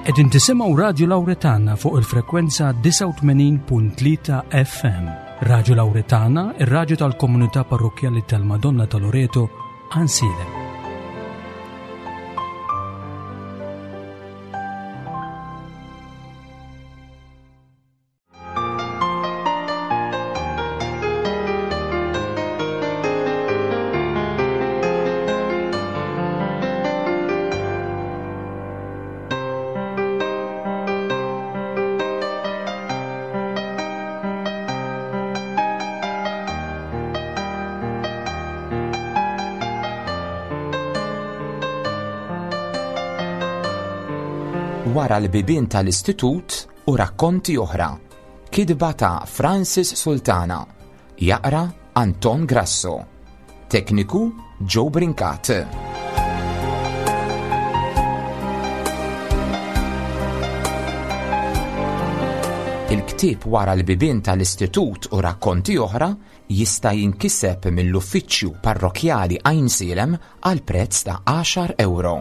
Qegħdin tisimgħu Radju Lawretana fuq il-frekwenza 89.3 FM. Radju Lawretana, ir-radju tal-komunità parrokkjali tal-Madonna ta' Loreto, Ansilem. Wara l-bibien tal-istitut u rakkonti oħra. Kitba ta' Francis Sultana. Jaqra Anton Grasso. Tekniku Joe Brincat. Il-ktieb Wara l-bibien tal-Istitut u rakkonti oħra jista' jinkiseb mill-Uffiċċju Parrokkjali Għajnsielem għal prezz ta' għaxar ewro.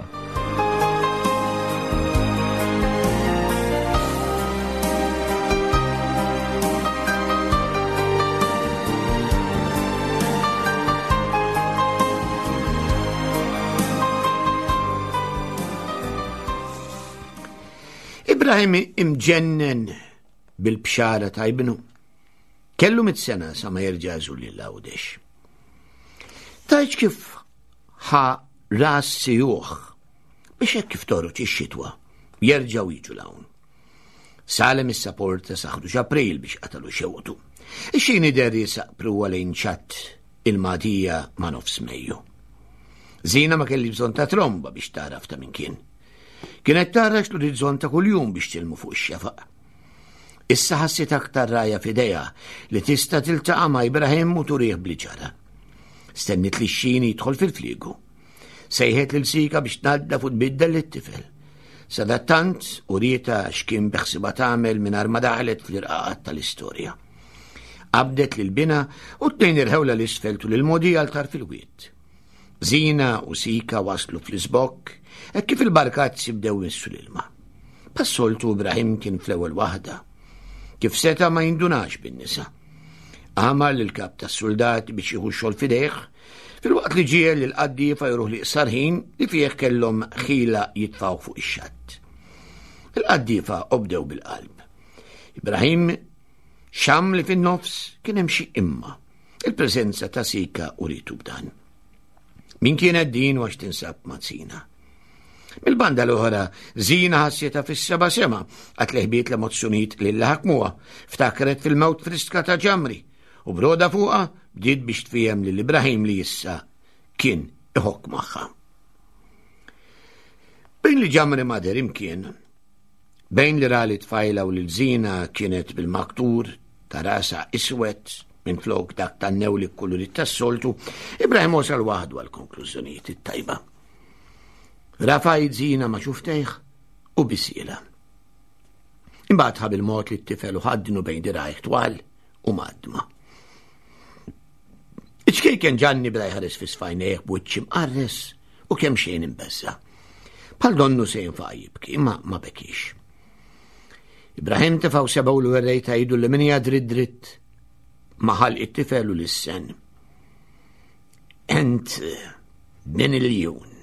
Ibrahim imġennen bil-bxara ta' ibnu. Kellu mit sena sa ma jerġa' jżur lil Għawdex. Tajt kif ħa ras sijuħ biex hekk kif toruċ ix-xitwa jerġgħu jiġu l-hawn. Salem is-saporta sa ħruġ April biex qatalu xewqtu. Ix-xini der jisaq pruwa lejn ċatt il-madija ma' nofs Mejju. Zina ma kelli bżonn ta' tromba biex taraf ta' min kien. Kienet tarax l-orizzont ta' kuljum biex tilmu fuq ix-xefaq. Issa ħassit aktar raja f'idejha li tista' tiltaqa' ma' Ibrahim u turih bli ġara. Stennit li x-xini jidħol fil-fliegu. Sejħet lil Sika biex tnaddaf u tbiddel lit-tifel. Sadattant urietha x'kien beħsiebha tagħmel mingħajr ma daħlet fl-irqaqat tal-istorja. Qabdet lil binha u t-tnejn irħewla l-isfel tul il-mogħdija għal tarf il-wied. Zina u Sika waslu fl-iżbokk hekk kif il-barkazzi bdew jmissu l-ilma. Bħas-soltu Ibrahim kien fl-ewwel waħda. Kif seta' ma jindunax bin-nisa. Amar lill-kap tas-suldati biex jieħu x-xogħol f'idejh, filwaqt li ġiegħel lill-qaddiefa jruh l-iqsar ħin li fih kellhom ħila jitfgħu fuq ix-xatt. Il-qaddiefa obdew bil-qalb. Ibrahim xam li fin-nofs kien hemm xi imma. Il-preżenza ta' Sika uritu b'dan. Min kienet din u għax tinsab ma' Zina? Mill-banda l-oħra, Zina ħassietha fis-seba' sema għat li ħbiet l-emozzjonijiet li ħakmuha, ftakret fil-mewt friska ta' Ġamri u broda fuqha bdiet biex tfiehem lil Ibrahim li issa kien iħokk magħha. Bejn li Ġamri ma deher imkien, bejn li ra li tfajla u lil Zina kienet bil-maktur ta' rasa iswed minn flok dak tan-newli kulurit tas-soltu, Ibrahim wasal waħdu għal konklużjonijiet it-tajba. Rafa' Zina ma' xuftejh u bisiela. Imbagħad ħa bil-mod li t-tifel u ħaddnu bejn dirajh twal u madma. Iċ-ċkejken Ġanni bda jħares fi sfajnejh b'wiċċ imqarres u kemm xejn imbeżża. Bħal donnu se jinfaqa jibki, ma ma bekix. Ibrahim tefgħu sebgħu l-werrej ta' idu li minija dritt dritt ma ħalq it-tifel u l-sen. Ent Ben il-jun.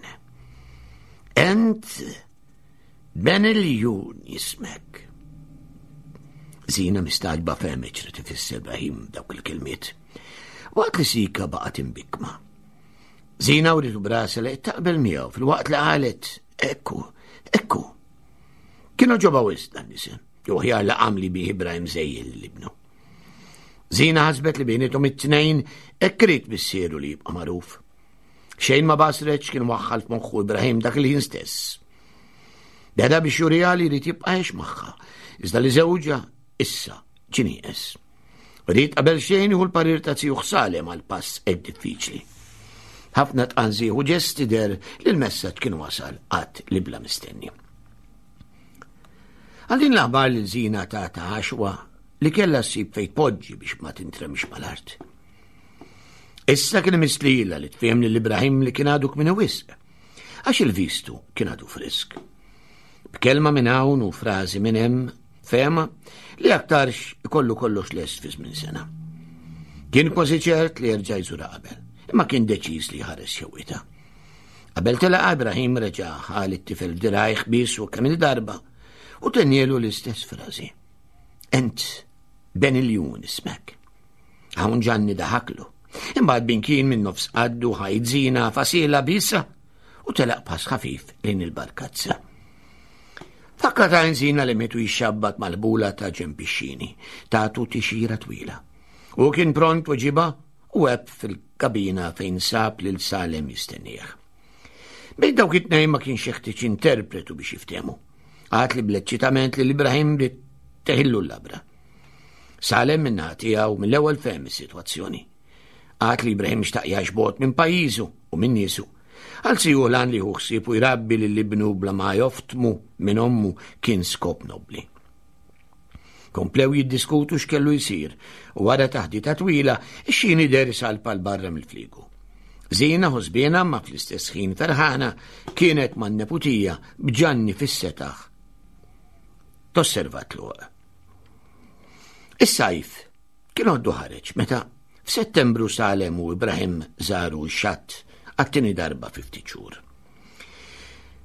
Ent Ben il-jun jismek. Zina mistaġba fehmet x'rid ifisser Ibrahim dawk il-kelmiet. Waqt li Sika baqgħet imbikma. Zina uritu brasa li taqbel miegħu fil-waqt li qalet ekku, ekku. Kienu ġoba wisq dan l-isem, jew ħjar li għamli bih Ibrahim żejjel lil ibnu. Zina ħasbet li bejnietom it-tnejn hekk irid missieru li jibqa' magħruf. Xejn ma basret x'kien waħħal f'moħħu Ibrahim dak il-ħin stess. Beda biex juriha li jrid jibqa' għex magħha, iżda li żewġha issa ġie nieqes. Ried qabel xejn jieħu l-parir ta' zijuh Salem għal pass hekk diffiċli. Ħafna tqanżih u ġesti der li l-messaġġ kien wasal qatt li bla mistenni. Għal din l-aħbar li Zina ta' ta' għaxwa li kellha ssib fejn tpoġġi biex ma tintremx mal-art. Issa kien imiss lilha li tfiem lil Ibrahim li kien għadu kmini wisq, għax il-vistu kien għadu frisk. B'kelma minn hawn u frażi minn hemm, fehma li aktarx ikollu kollox lest fi żmien sena. Kien kważi ċert li jerġa' jżura qabel, imma kien deċiż li jħares xewqitha. Qabel telaq Ibrahim reġa' ħa lit-tifel f'dirajh biesu kemm il-darba u tennielu l-istess frażi. Ent Ben iljun ismek. Hawn Ġanni daħaklu. Imbagħad binkien minn nofs qaddu ħajdzina fasila bisa u telaq pass ħafif lejn il-barkazza. Fakka ta' nżina li mitu jixxabbat mal-bula ta' ġempixxini, tagħtu tixira twila. U kien pront weġiba u għeb fil-kabina fejn sab lil Salem jistennieh. Bejn dawk it-tnejn ma kienx jeħtieġ interpretu biex jiftehmu. Għad li bl-eċċitament li l-Ibrahim bdiet teħillu l-labra. Salem minna tiegħu mill-ewwel fehem is-sitwazzjoni. Għad li Ibrahim xtaq jgħix bogħod minn pajjiżu u minn niesu. Għal siju lan li hu ħsieb u jrabbi lil ibnu bla ma joftmu minn ommu kien skop nobli. Komplew jiddiskutu x'kellu jsir u wara taħdita twila ix-xini der salpa l barra mill-fliegu. Zina ħosbiena ma fl-istess ħin ferħana kienet man-neputija b'ġanni fis-setaħ. Tosserva tluq. Is-sajf kien għoddu ħareġ meta f'Settembru Salem u Ibrahim żaru x-xatt għat-tieni darba fi ftit xhur.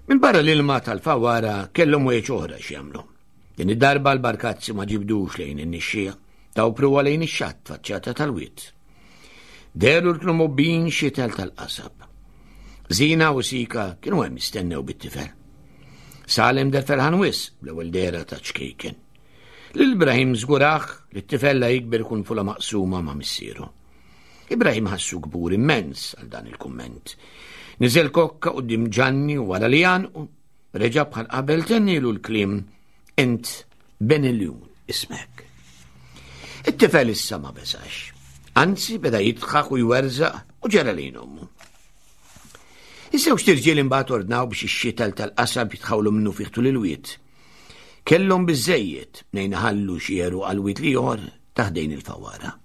Minn barra l-ilma tal-fawara kellhom wieċ oħra x'jagħmlu. Din id-darba l-barkazzi ma ġibdux lejn in-nixxija, taw pruwa lejn ix-xatt faċċata tal-wied. Dehru l kienu mobbijin xitel tal-qasab. Zina u Sika kienu hemm jistennew bit-tifel. Salem der ferħan wis bl-ewwel dehra ta' ċkejken. Lil Ibrahim żgurah li t-tifel la jikber ikun fula maqsuma ma' missieru. Ibrahim ħassu kbur immens għal dan il-kumment. Niżel kokka quddiem Ġanni u wara li għanqu, reġa' bħal qabel tennilu l-kliem int Ben iljun ismek. It-tifel issa ma beżax. Anzi beda jidħak u jwerżaq u ġera lejn ommu. Iż-żewġ tirġiel imbagħad ordnaw biex ix-xitel tal-qasab jitħawlu minnu fih tul il-wied. Kellhom biżejjed mnejn iħallu xi għeruq għal wied l-ieħor ta' ħdejn il-fawara.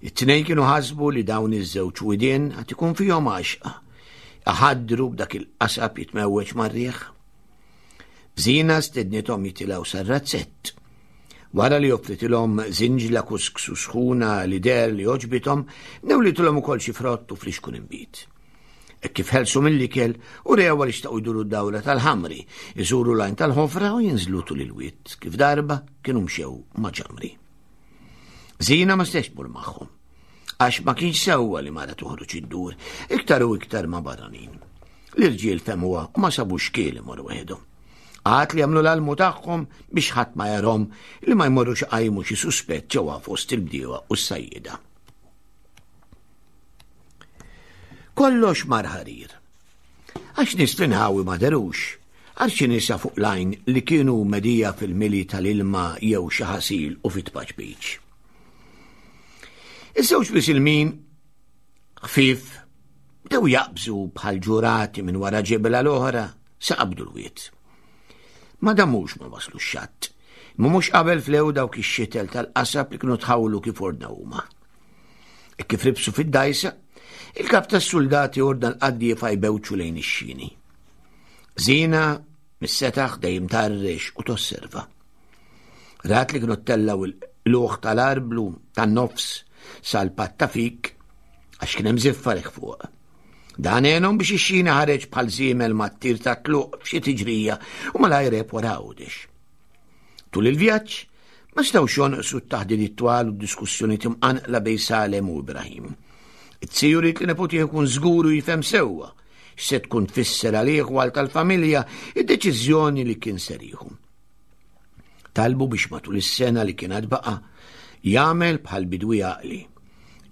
It-tnejn kienu ħasbu li dawn iż-żewġ widien għad ikun fihom għaxqa, iħaddru b'dak il-qasab jitmewweġ mar-riħ. Zina stednithom jitilgħu sar-razzett. Wara li offritilhom żinġla kusksu sħuna li deher li għoġbithom, newlitilhom ukoll xi frott u flixkun inbid. Hekk kif ħelsu mill-ikel, urew għaliex xtaqu jduru d-dawra tal-ħamri, iżuru l-għajn tal-ħofra u jinżlu tul il-wied, kif darba kienu mxew ma' ġamri. Zina ma setax tmur magħhom, għax ma kienx sewwa li mara toħroġ iddur, iktar u iktar ma' barranin. L-irġiel femuha u ma sabux xkiel imorru waħedhom. Għad li jagħmlu l-almu tagħhom biex ħadd ma jarhom li ma jmorrux iqajmu xi suspett ġewwa fost il-bdiewa u s-sajjieda. Kollox mar ħarir. Għax nies fl-inħawi ma derux, għal xi nisa fuq l-għajn li kienu medija fil-mili tal-ilma jew xi ħasil u fit-tpaċpiċ. Iż-żewġ misilmin ħfief bdew jaqbżu bħal ġurati minn wara ġebla l-oħra sa qabdu l-wied. Ma damux ma waslu x-xatt, imma mhux qabel flew dawk ix-xitel tal-qasab li kienu tħawlu kif ordnaw huma. E kif ribsu fid-dajsa, il-kap tas-suldati ordna l-qaddiefa jbewċu lejn ix-xini. Zina mis-setaħ dejjem tarrex u tosserva. Rat li kienu tellaw il-luħ tal-arblu tan-nofs sal-patt ta' fik għax kien hemm ziffa fuq. Dan għenhom biex ix-xini ħareġ bħal żiemel mat-tir ta' tluq f'xi tiġrija u malajr għeb wara Għawdex. Tul il-vjaġġ, ma setgħux jonqsu t-taħdidiet twal u d-diskussjonijiet imqanqla bejn Salem u Ibrahim. It-tiju ried li neputih ikun żgur u jifhem sewwa x'se tkun tfisser għalih u għal tal-familja id-deċiżjoni li kien ser jieħu. Talbu biex matul is-sena li kien għad baqa' jagħmel bħal bidwi għaqli.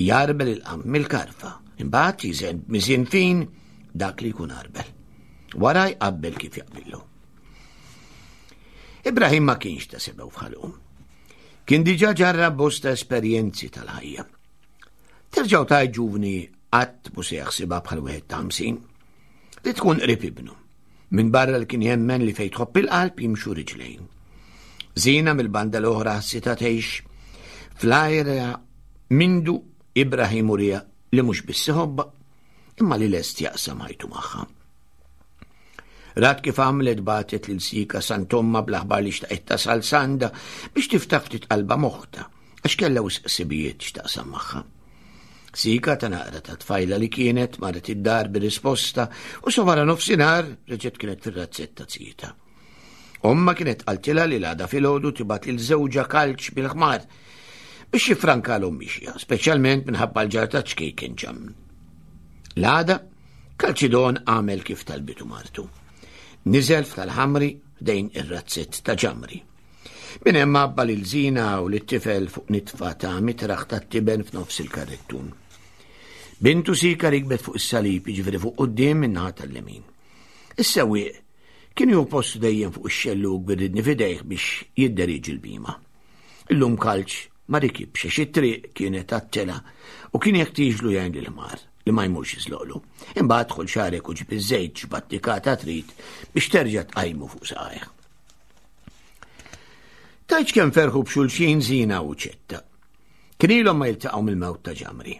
Jarbel il-qamp mill-karfa, imbagħad jiżen b'miżien fin dak li jkun arbel. Wara jqabbel kif jaqbillu. Ibrahim ma kienx ta' sebew f'ħalqu. Kien diġà ġarrab bosta esperjenzi tal-ħajja. Terġgħu ta' ġuvni qatt mhu se jaħsibha bħal wieħed ta' 50. Li tkun qrib ibnu. Minn barra li kien jemmen li fejn tħobb il-qalb jimxu riġlejn. Zina mill-banda l-oħra ħassitha tgħix fl-ajra mindu Ibrahim urija li mhux biss iħobbha, imma li lest jaqsam ħajtu magħha. Rat kif għamlet bagħtet lil Sika s'għand ommha bl-aħbar li xtaqet tasal s'għandha biex tiftaħ ftit qalbha m'oħtha għax kellha wisq ħsibijiet x'taqsam magħha. Sika ta' naqra ta' tfajla li kienet marret id-dar bir-risposta u sa wara nofsinhar reġgħet kienet fir-razzett ta' zieta. Omma kienet qaltilha li l-għada filgħodu tibgħat lil żewġha kalċ bil-ħmar biex jiffrankalhom mixja, speċjalment minħabba l-ġar ta' ċkejken ġam. L-għada, Kalċidon għamel kif talbitu martu. Niżel f'tal-ħamri ħdejn ir-razzett ta' ġamri. Minn hemm għabba lil Zina u lit-tifel fuq nitfa ta' mitraħ tat-tiben f'nofs il-karrettun. Bintu Sika rikbet fuq is-salib, jiġifieri fuq quddiem min-naħa tal-lemin. Is-sewwieq kien jieħu postu dejjem fuq ix-xellug bir-ridni f'idejh biex jidderieġi l-bhima. Illum Kalċ ma rikibx għax it-triq kienet għat-telgħa u kien jeħtieġlu jgħin lill-ħmar li ma jmurx jiżloqlu. Imbagħad dħol xagħrek u ġib iż-żejt x'battikata trid biex terġa' tqajmu fuq saqajh. Tgħidx kemm ferħu b'xulxin Zina u Ċetta. Kien ilhom ma jiltaqgħu mill-mewt ta' Ġamri.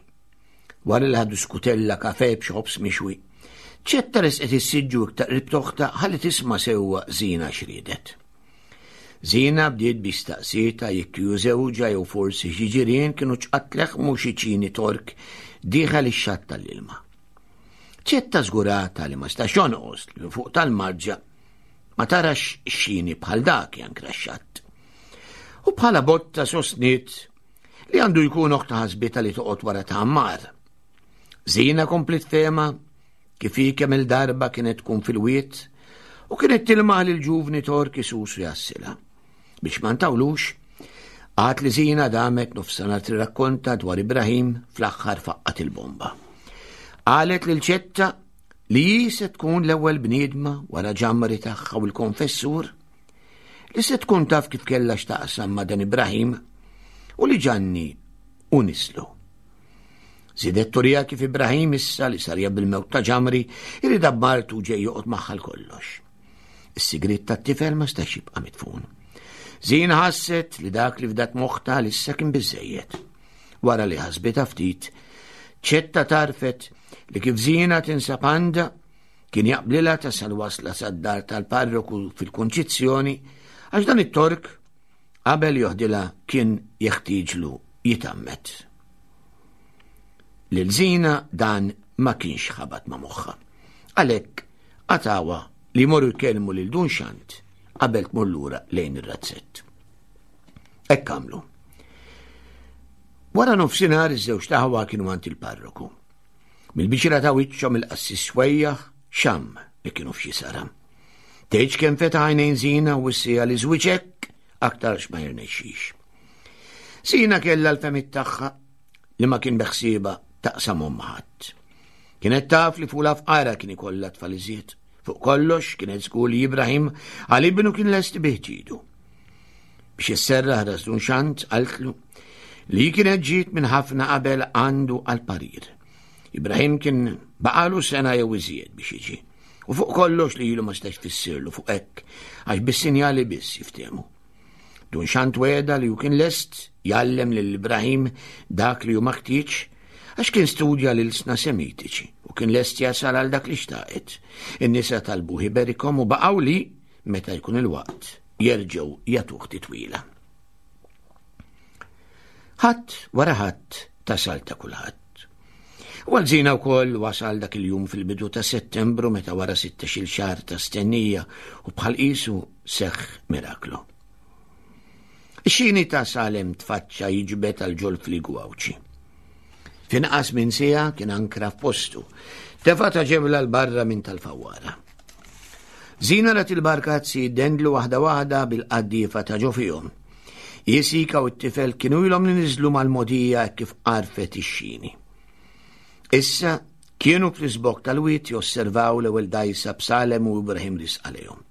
Wara li ħadu skutella kafe b'xi ħobż mixwi, Ċetta resqet is-siġġu iktar qrib t'oħtha ħalli tisma' sewwa Zina x'riedet. Zina bdiet biex staqsietha jekk hu żewġha jew forsi xi ġirien kienu ċqatt leħmu xi ċini Tork dieħel ix-xatt tal-ilma. Ċetta żgurata li ma stax jonqos li minn fuq tal-marġa ma tarax xini bħal dak jankra x-xatt. U bħala botta sostniet li għandu jkun oħta ħasbita li toqgħod wara ta' Ammar. Zina komplet fema kif hi kemm il-darba kienet tkun fil-wiet u kienet tilmaħ lil ġuvni torki susu jassila. Biex ma ntawlux, għad li Zina damet nofsana tirrakkonta dwar Ibrahim fl-aħħar faqqat il-bomba. Qalet lil ċetta li hi se tkun l-ewwel bniedma wara ġamri tagħha u l-konfessur li se tkun taf kif kellha x'taqsam ma' dan Ibrahim u li Ġanni u nislu. Zidet turija kif Ibrahim issa li sarja bil-mewt ta' ġamri irid martu ġej joqgħod magħha kollox. Is-sigriet tat-tifel ma stax jibqa' mitfun. Zina ħasset li dak li fdat moħħta lissa kien biżejjed. Wara li ħasbitha ftit, ċetta tarfet li kif Zina tinsab għandha kien jaqblilha tasal wasla sad-dar tal-parroku fil-Kunċizzjoni għax dan it-Tork qabel joħdilha kien jeħtieġlu jitgħammed. Lil Zina dan ma kienx ħabat ma' moħħha. Għalhekk qatgħuha li jmorru jkellmu lil Dun Xant qabel tmur lura lejn ir-razzett. Hekk għamlu. Wara nofsinhar iż-żewġ taħwa kienu għand il-parroku. Mill-biċira ta' wiċċhom il-qassis swejjaħ xamm li kienu f'xi saram. Tgħidx kemm fetaħ għajnejn Zina u wissija li żwieġ hekk aktarx ma jirnexxix. Zina kellha l-femit tagħha li ma kien beħsieba taqsamhom ma' ħadd. Kienet taf li fula fqara kien ikollha tfal iżjed. Fuq kollox kienet żgur li Ibrahim għal ibnu kien lest bih ġidu. Biex isserraħ ras Dun Xant qaltlu li kienet ġiet minn ħafna qabel għandu għal parir. Ibrahim kien baqalu sena jew iżjed biex jiġi. U fuq kollox li ilu ma stax tfissirlu fuq hekk għax bis-sinjali biss jiftehmu. Dun Xant wegħda li hu kien lest jgħallem lil Ibrahim dak li hu maħtieġ għax kien studja l-ilsna Semitiċi u kien lest jasal għal dak li xtaqet. In-nisa talbuh iberikhom u baqgħu li, meta jkun il-waqt, jerġgħu jagħtuh titwila. Ħadd wara ħadd tasal ta' kulħadd. U għal Zina wkoll wasal dak il-jum fil-bidu ta' Settembru meta wara 16-il xahar ta' stennija u bħal qisu seħħ miraklu. Ix-xini ta' Salem tfaċċa jiġbed għal ġol fligu Għawdxi. Finqas minn siegħa kien ankra f'postu. Tefa' ta' ġebla l barra minn tal-fawwara. Zina rat il-barkazzi jiddendlu waħda waħda bil-qaddiefa ta' ġo fihom. Jisika u t-tifel kienu ilhom li niżlu mal-mogħdija hekk kif għarfet ix-xini. Issa kienu fl-iżbokk tal-wied josservaw l-ewwel dgħajsa b'Salem u Ibrahim risqa lejhom.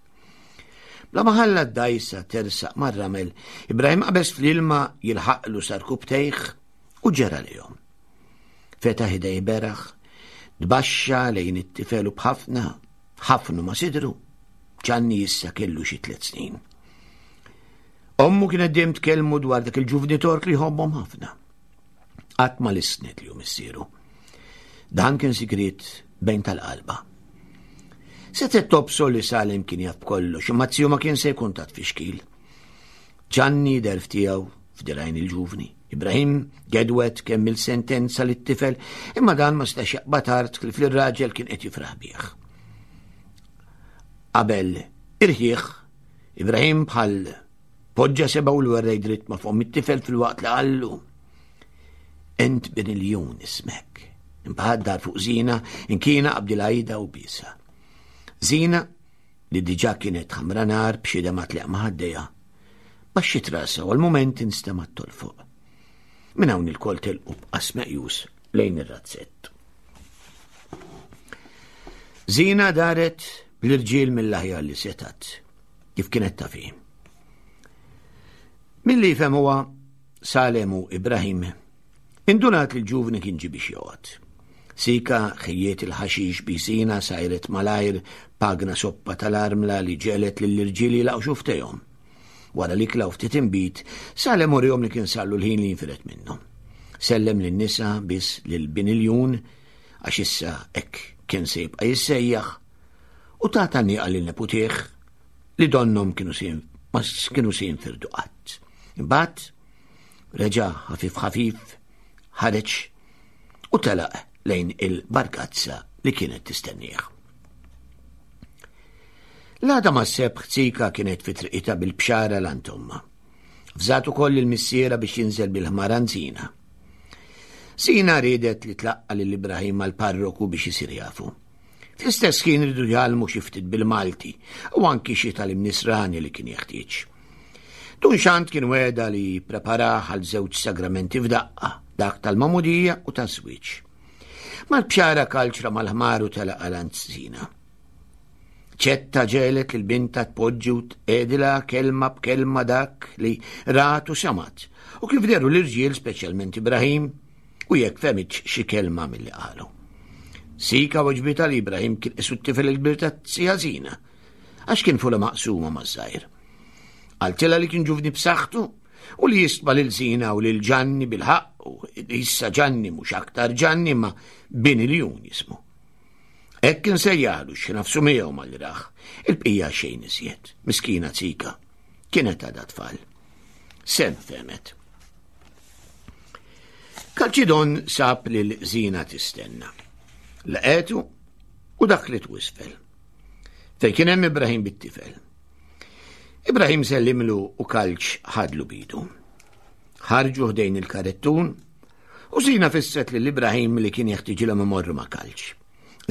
Bla ma ħalla d-dgħajsa tersaq mar-ramel, Ibrahim qabeż fl-ilma jilħaqlu sar kubtejh u ġera lejhom. Fetaħ idej beraħ, tbaxxa lejn it-tifel u b'ħafna, ħafnu ma' sidru. Ġanni issa kellu xi tliet snin. Ommu kienet dejjem tkellmu dwar dak il-ġuvni tork li jħobbhom ħafna. Qatt ma lissnet li hu missieru. Dan kien sigriet bejn tal-qalba. Setgħet tobsor li Salem kien jaf b'kollox, imma z-ziju ma kien se jkun ta' tfixkil. Ġanni derf tiegħu f'dirajn il-ġuvni. Ibrahim gedwet kemm il-sentenza li t-tifel, imma dan ma setax jaqbad art kif li r-raġel kien qed jifraħ bih. Qabel irħieħ, Ibrahim bħal poġġa seba' u l-werrej dritt ma' fomm it-tifel fil-waqt li qallu. Ent bin il-jun ismek. Imbagħad dar fuq Zina, inkina qabdilha ida u biesha. Zina, li diġà kienet ħamra nar b'xi demgħa tleq ma' ħaddejha, baxxiet rasha u għal-mument instemgħet tolfoq. Minn hawn il-kol telqu b'qas meqjus lejn ir-razzett. Zina daret bl-irġiel mill-aħjar li setat, kif kienet tafi. Milli jifhem huwa Salem u Ibrahim Indunat li l-ġuvni kien ġie biex joqgħod. Sika ħejjiet il-ħaxix bi sina sajret malajr pagna soppa tal-armla li ġegħlet lill-irġiel jilgħu xuftejhom. Wara li klaw ftit inbid, Salem urihom li kien sarlu l-ħin li jinfired minnhom. Sellem lin-nisa biss lil bin iljun għax issa hekk kien se jibqa' jissejjaħ u ta tgħanniqa lil neputih li donnhom kienu se ma kienu se jinfirdu qatt. Imbagħad Reġa' ħafif ħafif ħareġ u telaq lejn il-barkazza li kienet tistennieh. L-għada ma' sebħ Zika kienet fi triqitha bil-bxara l ommha. Fżat ukoll il-missiera biex jinżel bil-ħmar Zina. Zina riedet li tlaqqa lil Ibrahim mal-parroku biex isir jafu. Fl-istess ħin ridu jgħallmu xi ftit bil-Malti u anki xi tal-imnisrani li kien jeħtieġ. Dun Xant kien wegħda li jippreparah għal żewġ sagramenti f'daqqa, dak tal-magħmudija u taż-żwieġ. Mal-bxara kalċra mal-ħmar u telaq għal Zina. Ċetta ġelet lil binta tpoġġi u tqegħdilha kelma b'kelma dak li rat u samat, u kif deru l-irġiel speċjalment Ibrahim, u jekk fehmitx xi kelma milli qalu. Sika weġbitha li Ibrahim kien qisu t-tifel il-kbir ta' Sija Zina, għax kien fula maqsuma maż-żgħir. Qaltilha li kien ġuvni b'saħħtu u li jistma lil Zina u lil Ġanni bil-ħaqq u issa Ġanni mhux aktar Ġanni ma bin iljun jismu. Hekk kien sejjaħlu xi nafsu miegħu mal-raħ, il-bqija xejn iżjed, miskina Zika. Kienet għadha tfal. Sem fehmet. Kalċidon sab lil Zina tistenna. Laqetu u daħlet wisfel. Fejn kien hemm Ibrahim bit-tifel. Ibrahim sellimlu u kalċ ħadlu bidu. Ħarġu ħdejn il-karettun u Zina fisset lil Ibrahim li kien jeħtiġilhom imorru ma' kalċ.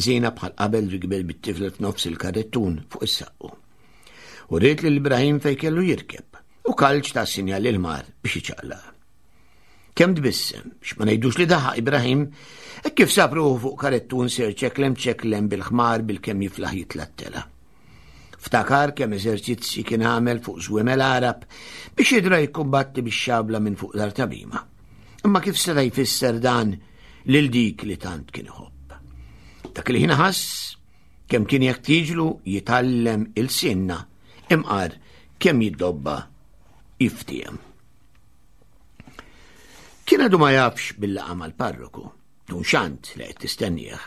Zina bħal qabel rikbel bit-tifel f'nofs il-karettun fuq is-saqqu. U ried lil Ibrahim fejn kellu jirkeb u kalċ ta' sinjal lil mar biex iċaqlaq. Kemm tbissem, biex ma ngħidux li daħaq Ibrahim, hekk kif sab ruħu fuq karettun ser ċeklem ċeklem bil-ħmar bil-kemm jiflaħ jitlattela. Ftakar kemm eżerċizzji kien għamel fuq żwiemel Għarab biex jidra jikkumbatti bix-xabla minn fuq dar tabima. Imma kif seta' jfisser dan lil dik li tant kien iħobb. Dak il-ħin ħass kemm kien jeħtieġlu jitgħallem il-sinna imqar kemm jiddobba jiftiem. Kien għadu ma jafx bil-laqa mal-parroku, dun xant li qed tistennieh.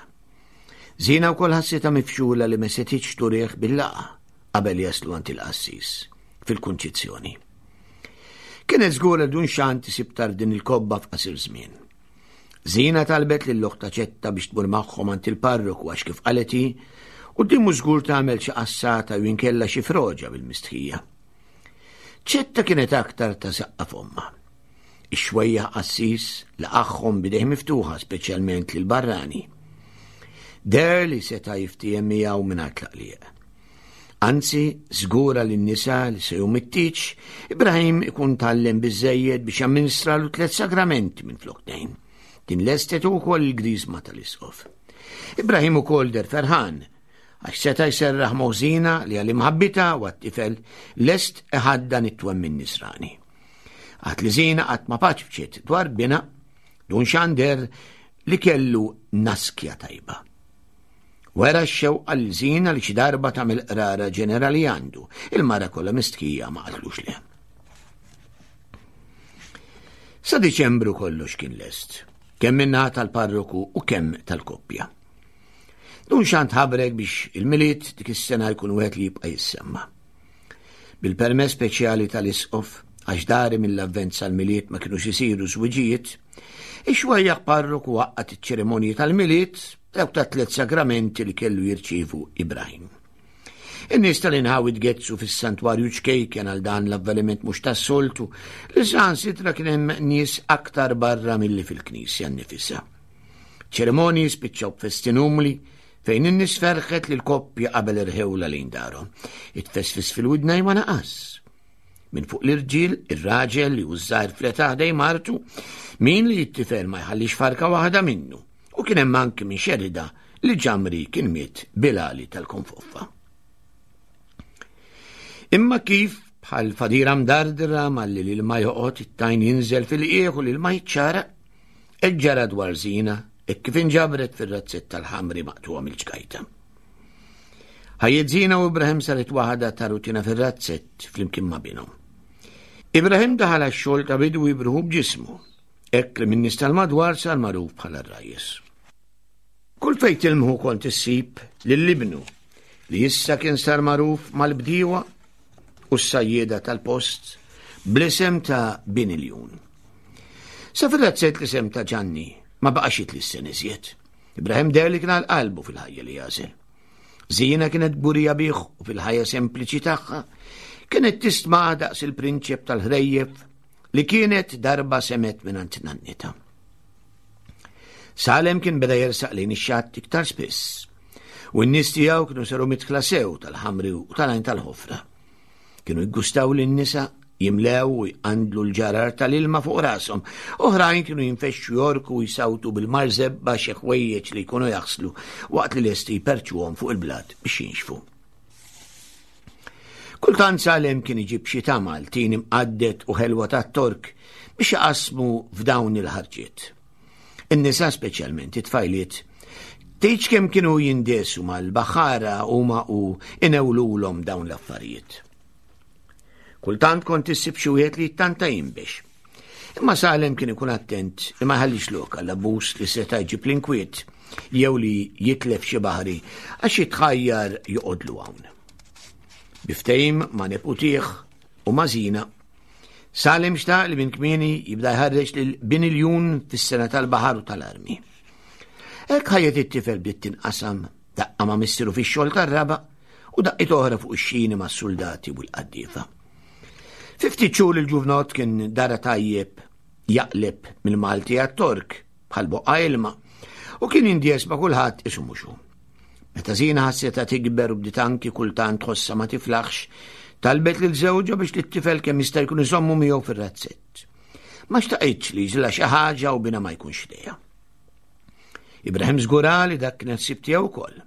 Zina wkoll ħassitha mifxula li ma setitx turih bil-laqa qabel jaslu għand il-qassis fil-kunċizzjoni. Kienet żgur li dun xant isib din il-kobba f'qasir żmien. Zina talbet lil oħtha Ċetta biex tmur magħhom għand il-parroku għax kif qalet hi, quddiemu żgur tagħmel xi qassata jew inkella xi froġa bil-mistħija. Ċetta kienet aktar ta' saqqa f'ommha. Ix-xwejjaħ qassis laqagħhom b'idejh miftuħa speċjalment lil barrani. Deher li seta' jiftiehem miegħu mingħajr tlaqliq. Anzi, żgura lin-nisa li se jum it-tieġ, Ibrahim ikun tgħallem biżżejjed biex jamministralu tliet sagramenti minflok tnejn. Din lestet ukoll il-griżma tal-isqof. Ibrahim ukoll der ferħan, għax seta' jserraħ moħżina li għal imħabbita u għat-tifel lest iħaddan it-twemmin nisrani. Għat li zina qatt ma paċfċiet dwar bina, dun xander li kellu naskja tajba. Wera x-xewqa lil Zina li xi darba tagħmel qrara ġenerali għandu. Il-mara kollha mistħija ma qatlux le. Sa Diċembru kollox kien lest, kemm min-naħa tal-parroku u kemm tal-koppja. Dun xant ħabrek biex il-Milied dik is-sena jkun wieħed li jibqa' jissemma. Bil-permess speċjali tal-isqof, għax dari mill-avvent sal-Milied ma kinux isiru żwiġijiet, ix-xwejjaħ parroku waqqat iċ-ċerimonji tal-Milied dawk ta' tliet sagramenti li kellu jirċievu Ibrahim. In-nies tal-inħawi tgezzu fis-santwarju ċkejken għal dan l-avveniment mhux tas-soltu li saħansitra kien hemm nies aktar barra milli fil-knisja nnifisha. Ċerimonji spiċċaw b'festin umli fejn in-nies ferħet lil koppja qabel irħewla lejn darhom. It-tfesfis fil-widnejn ma naqas. Minn fuq l-irġiel, ir-raġel li hu żgħir fl-età ħdej martu, min li jittifel ma jħallix farka waħda minnu. U kien hemm anki min xerida li ġamri kien miet bilali tal-konfoffa. Imma kif bħal fadira mdardra malli l-ilma joqgħod it-tajn jinżel fil-qiegħ u l-ilma jiċċara, ġara dwar żina e kif inġabret fir-razzett tal-ħamri maqtuha mill-ġgajta. Ħajjet Zina u Ibrahim saret waħda ta' rutina fir-razzett flimkien ma' binhom. Ibrahim daħal għax-xogħol ta' bidwi bruħu b'ġismu Hekk li min-nies tal-madwar sar magħruf bħala r-rajjes. Kull fejn tilmħu kont issib lil ibnu li issa kien sar magħruf mal-bdiewa u s-sajjieda tal-post bl-isem ta' Bin Iljun. Sa fil-razzett l-isem ta' Ġanni ma baqax jitlissen iżjed. Ibrahim deher li kien għal qalbu fil-ħajja li għażel. Zina kienet kburija bih u fil-ħajja sempliċi tagħha kienet tistma' daqs il-prinċep tal-ħrejjef li kienet darba semet mingħand nannita. Salem kien beda jersaq lejn ix-xatt iktar spiss, u n-nies tiegħu kienu saru mitħla sew tal-ħamri u tal-għajn tal-ħofra. Kienu jgustaw lin-nisa jimlew u jqandlu l-ġarar tal-ilma fuq rashom. Oħrajn kienu jinfexxu jorku u jsawtu bil-marżebba xi ħwejjeġ li jkunu jaħslu waqt li lesti jperċuhom fuq il-blat biex jinxfu. Kultant Salem kien iġib xi tamal, tin imqadded u ħelwa tat-Tork biex iqassmu f'dawn il-ħarġiet. In-nisa speċjalment it-tfajliet tgħidx kemm kienu jindesu mal-baħħara huma u inewlulhom dawn l-affarijiet. Kultant kont issib xi wieħed li jittanta jinbex. Imma Salem kien ikun attent li ma jħallix lok għall-abbuż li seta' jġib l-inkwiet jew li jitlef xi baħri għax jitħajjar joqodlu hawn. Bi ftehim ma' neputih u ma' Zina, Salem xtaq li minn kmieni jibda jħarreġ lil bin iljun fis-sena tal-baħar u tal-armi. Hekk ħajjet it-tifel bdiet tinqasam daqqa ma' missieru fix-xogħol tar-raba' u daqqiet oħra fuq ix-xini mas-suldati u l-qaddiefa. Fi ftit xhur il-ġuvnott kien dara tajjeb jaqleb mill-Malti għat-Tork bħal boqqa ilma u kien jindjes ma' kulħadd isu mhux hu. Meta Zina ħassetha tikber u bdiet anki kultant tħossha ma tiflaħx, talbet lil żewġha biex lit-tifel kemm jista' jkun iżommu miegħu fir-razzett. Ma xtaqitx li jiġrilha xi ħaġa u binha ma jkunx ħdejha. Ibrahim żgura li dak kien ħsieb tiegħu wkoll.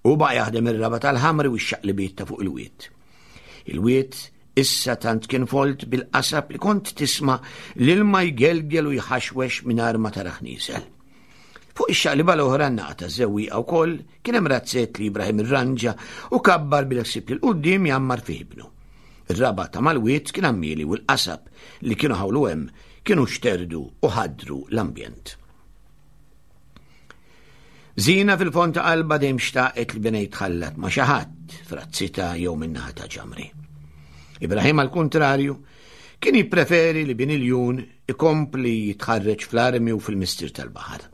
Hu baqa' jaħdem ir-raba' tal-ħamri u x-xaqlibiet ta' fuq il-wied. Il-wied issa tant kien folt bil-qasab li kont tisma' l-ilma jgelgel u jħaxwex mingħajr ma taraħ nieżel. Fuq ix-xaqliba l-oħra n-naqa taż-żewwieqa wkoll kien hemm razzett li Ibrahim irranġa u kabbar bil-ħsieb li l-quddiem jgħammar fih ibnu. Ir-raba' ta' mal-wied kien għammieli u l-qasab li kienu ħawlu hemm kienu xterdu u ħaddru l-ambjent. Zina fil-fond ta' qalba dejjem xtaqet li binha jitħallat ma' xi ħadd frazzita jew min-naħa ta' ġamri. Ibrahim għall-kuntrarju kien jippreferi li bin iljun ikompli jitħarreġ fl-armi u fil-mistier tal-baħar.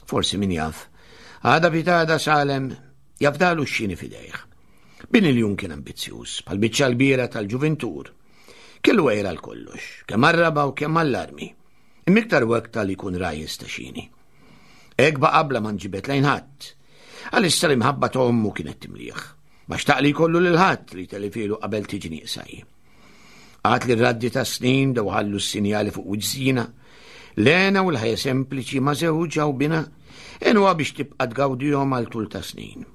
Forsi min jaf, għada pitada Salem jafdalu x-xini fidejh. Bin iljun kien ambizzjuż, bħal biċċa l-bira tal-ġuvintur. Kellu għira l-kollox, kemm għar-raba u kemm għall-armi. Imma iktar u aktar li jkun rajjes ta' xini. Hekk baqa' bla ma nġibed lejn ħadd. Għalissa l-imħabba ta' ommu kienet timlih. Ma xtaq li jkollu lil ħadd li telifilu qabel tiġi nieqsa hi. Għad li r-raddi ta' snin daw ħallu s-sinjali fuq wiġżina, l-għena u l-ħajja sempliċi ma' żewġha u bina għenuha biex tibqa' tgawdihom għal tul ta' snin.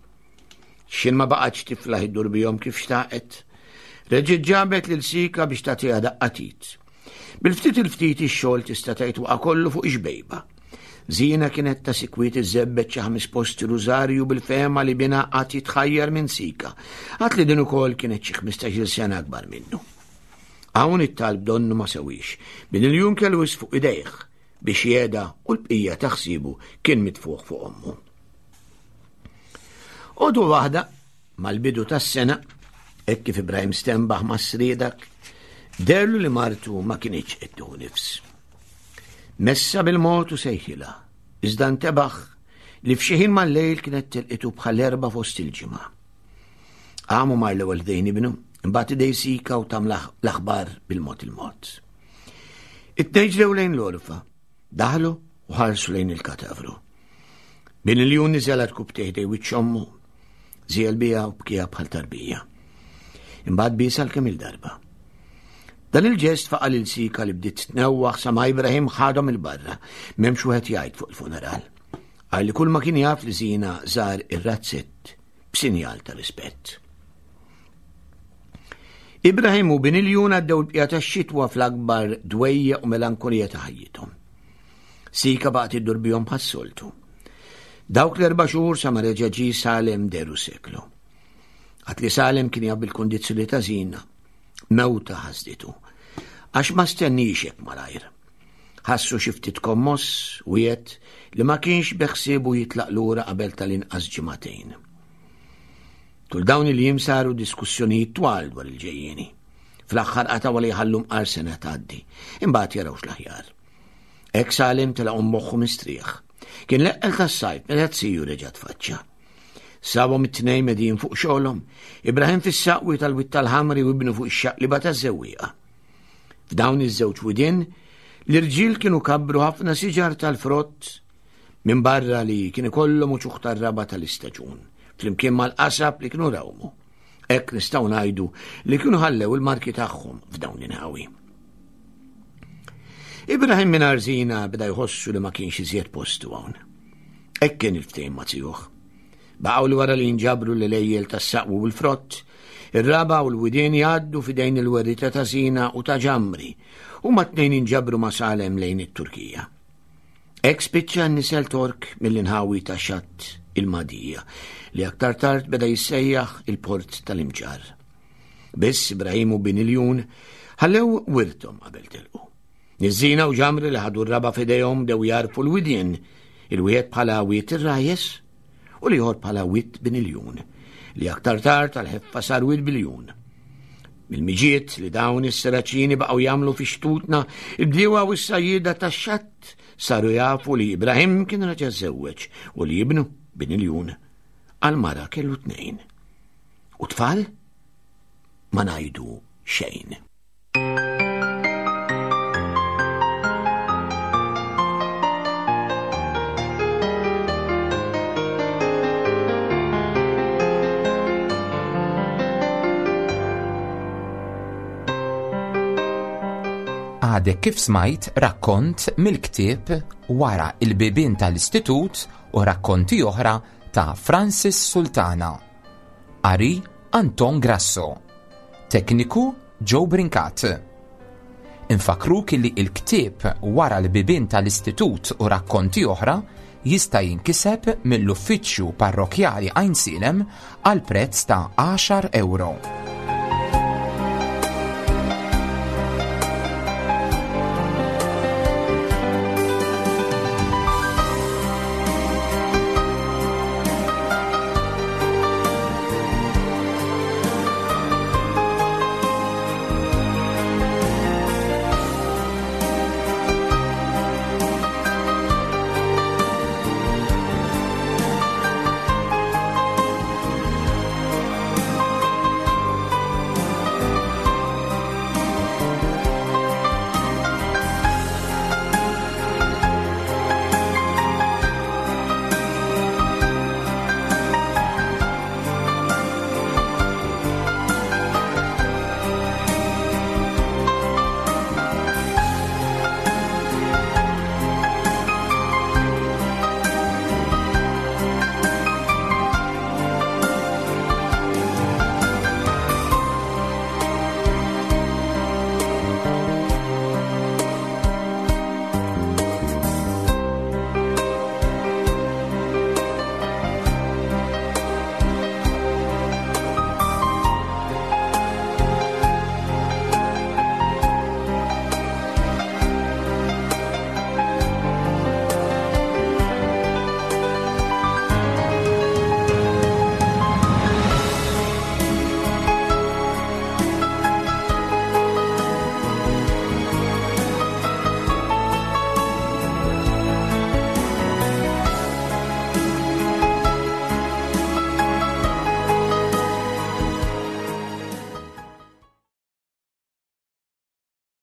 X'in ma baqgħetx tiflaħ iddur bihom kif xtaqet. Reġgħet ġabet lil Sika biex tagħtiha daqqa t'id. Bil-ftit il-ftit ix-xogħol tista' tgħid waqa' kollu fuq ix-xbejba. Zina kienet ta' sikwit iżżebbet xi ħames posti rużarju bil-fehma li binha qatt jitħajjar minn Sika, għad li din ukoll kienet xi ħmistax-il sena akbar minnu. Hawn it-talb donnu ma sewiex, bin il-jum kellu wisq fuq idejh biex jeda u l-bqija ta' ħsiebu kien mitfugħ fuq ommu. Għodu waħda, mal-bidu tas-sena, hekk kif Ibrahim stenbaħ ma' sriedak, derlu li martu ma kinitx qed tieħu nifs. Messa bil-mod u sejħilha, iżda ntebaħ li f'xi ħin mal-lejl kienet tilqitu bħal erba' fost il-ġimgħa. Qamu mar l-ewwel ħdejn ibnu, imbagħad idej sika u tam l-aħbar bil-mod il-mod. It-tnejn ġrew lejn l-orfa, daħlu u ħarsu lejn il-katavru. Bin il-jun niżel għal ħdej wiċċ ommu, żiel biha u bkieha bħal tarbija. Imbagħad biesha kemm il-darba. Dan il-ġest faqa' lil Sika li bdiet tnewwaħ sa ma Ibrahim ħadhom il-barra, m'hemmx wieħed jgħid fuq il-funeral. Għal li kull ma kien jaf li Zina żar ir-razzett b'sinjal ta' rispett. Ibrahim u bin il-jun għaddew l-bqija tax-xitwa fl-akbar dwejja u melankolija ta' ħajjithom. Sika baqgħet iddur bihom bħas-soltu. Dawk l-erba' xhur sa ma reġa' ġie Salem deru seklu. Għad li Salem kien jaf bil-kundizzjoni ta' Zina, mewta ħasditu. Għax ma stennix hekk malajr. Ħassu xi ftit kommoss u jgħid li ma kienx beħsiebu jitlaq lura qabel tal-inqas ġimagħtejn. Tul dawn il-jiem saru diskussjonijiet twal dwar il-ġejjieni. Fl-aħħar qatgħu li jħallu mqar sena tgħaddi, imbagħad jarawx l-aħjar. Hekk Salim telaq moħħu mistrieħ. Kien l-eqqel tas-sajf meta t-siju reġa' tfaċċa. Sabhom it-tnejn medin fuq xogħolhom, Ibrahim fis-saqwi tal-Wied tal-Ħamri u ibnu fuq ix-xaqliba taż-żewwieqa. F'dawn iż-żewġ widien, l-irġiel kienu kabbru ħafna siġar tal-frott minn barra li kien ikollhom uċuħ tar-raba tal-istaġun, flimkien mal-qasab li kienu rawmu. Hekk nistgħu ngħidu li kienu ħallew il-marki tagħhom f'dawn l-inħawi. Ibrahim minn Arzina beda jħossu li ma kienx iżjed postu hawn. Hekk kien il-ftehim ma' zijuh. Baqgħu li wara li jinġabru l-lejjel tas-saqwu u l-frott, ir-raba u l-widien jgħaddu fidejn il-werrita ta' Zina u ta' Ġamri, u ma tnejn inġabru ma' Salem lejn it-Turkija. Hekk spiċċa n-nisel Tork mill-inħawi ta' Xatt il-Magħdija, li aktar tard beda jissejjaħ il-Port tal-Imġarr. Biss Ibrahim u bin Iljun ħallew wirthom qabel telqu. Niżżina u ġamri li ħadu r-raba' f'idejhom bdew jagħrfu l-widien, il-wieħed bħala Wied ir-Rajjes u l-ieħor bħala Wied bin Iljun, li aktar tard għall-ħeffa sar Wied Biljun. Mill-miġiet li dawn is-Seraċini baqgħu jagħmlu fi xtutna, il-bdiewa u s-sajjieda tax-xatt saru jafu li Ibrahim kien raġa' żewweġ u li ibnu bin Iljun għal mara kellu tnejn. U tfal? Ma ngħidu xejn. Għadek kif smajt rakkont mill-ktieb Wara il-bibien tal-Istitut u rakkonti oħra ta' Francis Sultana. Qari Anton Grasso. Tekniku Joe Brincat. Infakruk li il-ktieb Wara l-bibien tal-Istitut u rakkonti oħra jista' jinkiseb mill-Uffiċċju Parrokkjali Għajnsielem għal prezz ta' għaxar ewro.